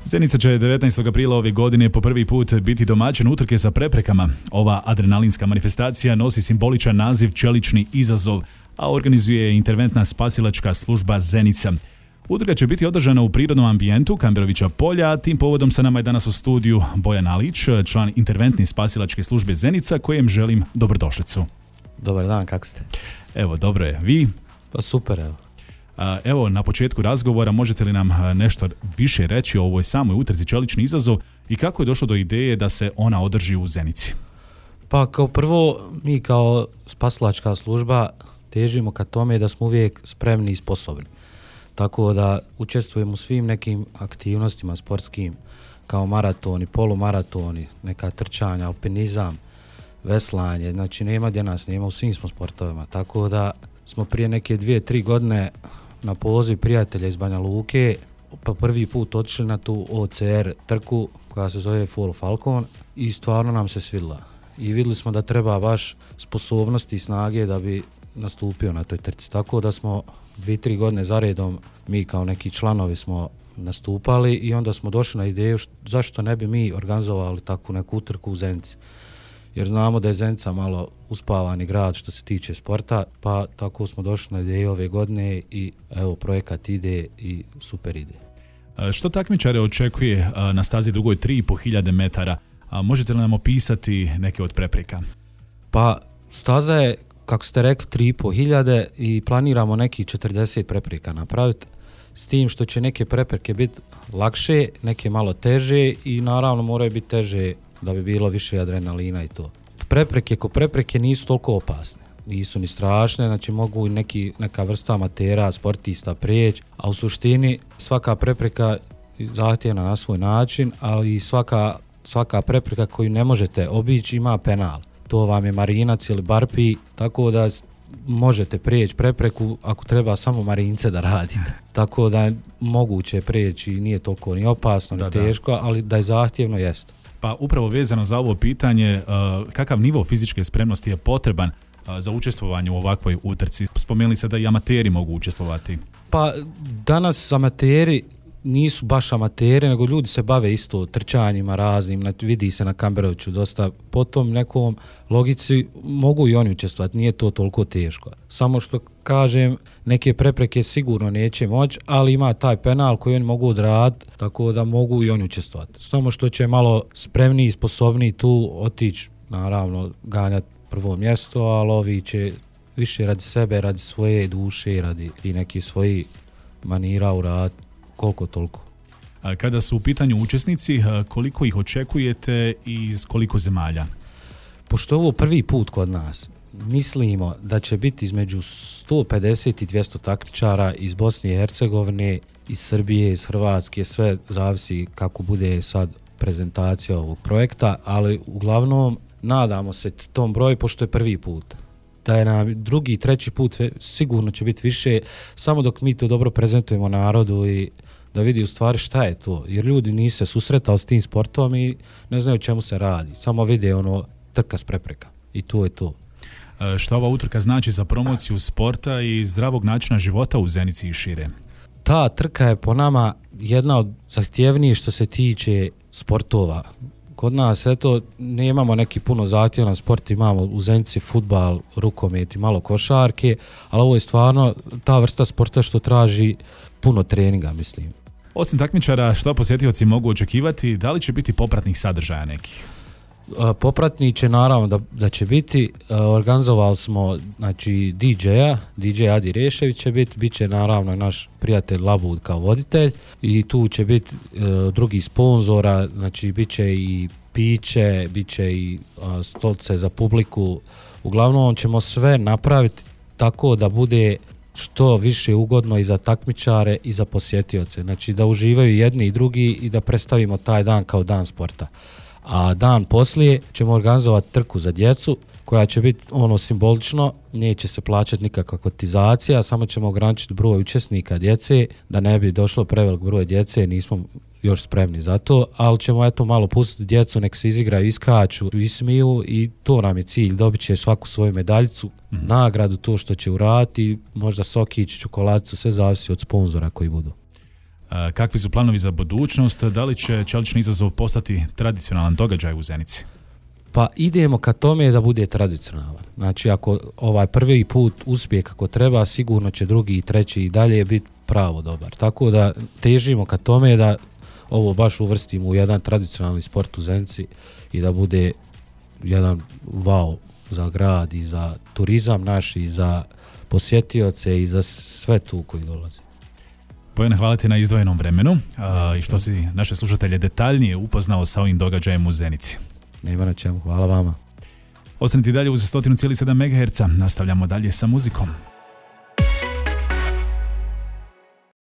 Zenica će 19. aprila ove godine po prvi put biti domaćin utrke sa preprekama. Ova adrenalinska manifestacija nosi simboličan naziv Čelični izazov, a organizuje je interventna spasilačka služba Zenica. Utrka će biti održana u prirodnom ambijentu Kamberovića polja, a tim povodom sa nama je danas u studiju Bojan Alić, član interventne spasilačke službe Zenica, kojem želim dobrodošlicu. Dobar dan, kako ste? Evo, dobro je. Vi? Pa super, evo. Evo, na početku razgovora možete li nam nešto više reći o ovoj samoj utrci Čelični izazov i kako je došlo do ideje da se ona održi u Zenici? Pa kao prvo, mi kao spasilačka služba težimo ka tome da smo uvijek spremni i sposobni. Tako da učestvujemo u svim nekim aktivnostima sportskim, kao maratoni, polumaratoni, neka trčanja, alpinizam, veslanje, znači nema gdje nas nema, u svim smo sportovima. Tako da smo prije neke 2-3 godine na poziv prijatelja iz Banja Luke pa prvi put otišli na tu OCR trku koja se zove Full Falcon i stvarno nam se svidla. I vidjeli smo da treba baš sposobnosti i snage da bi nastupio na toj trci. Tako da smo 2-3 godine zaredom mi kao neki članovi smo nastupali i onda smo došli na ideju zašto ne bi mi organizovali takvu neku utrku u Zenici. Jer znamo da je Zenica malo uspavani grad što se tiče sporta, pa tako smo došli na ideju ove godine i evo projekat ide i super ide. Što takmičare očekuje na stazi dugoj 3.500 metara? Možete li nam opisati neke od prepreka? Pa staza je, kako ste rekli, 3.500 i planiramo nekih 40 prepreka napraviti, s tim što će neke prepreke biti lakše, neke malo teže i naravno moraju biti teže da bi bilo više adrenalina i to. Prepreke nisu toliko opasne, nisu ni strašne, znači mogu i neka vrsta amatera, sportista prijeći, a u suštini svaka prepreka zahtjevna na svoj način, ali i svaka prepreka koju ne možete obići ima penal. To vam je marinac ili barpi, tako da možete prijeći prepreku ako treba samo marince da radite. Tako da je moguće prijeći i nije toliko ni opasno, ni teško, ali da je zahtjevno jeste. Pa upravo vezano za ovo pitanje, kakav nivo fizičke spremnosti je potreban za učestvovanje u ovakvoj utrci? Spomenuli se da i amateri mogu učestvovati. Pa danas amateri nisu baš amateri, nego ljudi se bave isto trčanjima raznim, vidi se na Kamberoviću dosta. Po tom nekom logici mogu i oni učestvovati, nije to toliko teško. Samo što kažem, neke prepreke sigurno neće moći, ali ima taj penal koji oni mogu odraditi, tako da mogu i oni učestvovati. Samo što će malo spremniji i sposobniji tu otići, naravno ganjati prvo mjesto, ali ovi će više radi sebe, radi svoje duše, radi i neki svoji manira uraditi. Koliko toliko. Kada su u pitanju učesnici, koliko ih očekujete i iz koliko zemalja? Pošto je ovo prvi put kod nas, mislimo da će biti između 150 i 200 takmičara iz Bosne i Hercegovine, iz Srbije, iz Hrvatske, sve zavisi kako bude sad prezentacija ovog projekta, ali uglavnom nadamo se tom broju pošto je prvi put. Da je nam drugi, treći put sigurno će biti više, samo dok mi to dobro prezentujemo narodu i da vidi u stvari šta je to. Jer ljudi nisu se susretali s tim sportom i ne znaju o čemu se radi. Samo vide trka s prepreka. I to je to. Šta ova utrka znači za promociju sporta i zdravog načina života u Zenici i šire? Ta trka je po nama jedna od zahtjevnijih što se tiče sportova. Kod nas, nemamo neki puno zahtjevan sport, imamo u Zenici fudbal, rukomet i malo košarke, ali ovo je stvarno ta vrsta sporta što traži puno treninga, mislim. Osim takmičara, šta posjetioci mogu očekivati, da li će biti popratnih sadržaja nekih? Popratni će naravno da će biti, organizovali smo znači DJ Adi Rešević će bit će naravno naš prijatelj Labud kao voditelj i tu će biti drugi sponzora, znači bit će i piće, bit će i stolice za publiku, uglavnom ćemo sve napraviti tako da bude što više ugodno i za takmičare i za posjetioce, znači da uživaju jedni i drugi i da predstavimo taj dan kao dan sporta. A dan poslije ćemo organizovati trku za djecu koja će biti simbolično, neće se plaćati nikakva kotizacija, samo ćemo ograničiti broj učesnika djece, da ne bi došlo prevelik broj djece, nismo još spremni za to, ali ćemo malo pustiti djecu, nek se izigraju, iskaču, ismiju i to nam je cilj, dobit će svaku svoju medaljicu, nagradu, to što će uraditi, možda sokić, čokoladicu, sve zavisi od sponzora koji budu. Kakvi su planovi za budućnost? Da li će Čelični izazov postati tradicionalan događaj u Zenici? Pa idemo ka tome da bude tradicionalan. Znači ako ovaj prvi put uspije kako treba, sigurno će drugi i treći i dalje biti pravo dobar. Tako da težimo ka tome da ovo baš uvrstimo u jedan tradicionalni sport u Zenici i da bude jedan wow za grad i za turizam naš i za posjetioce i za sve tu koji dolaze. Bojana, hvala ti na izdvojenom vremenu i što si naše slušatelje detaljnije upoznao sa ovim događajem u Zenici. Nema na čemu, hvala vama. Ostanite dalje uz 100,7 MHz, nastavljamo dalje sa muzikom.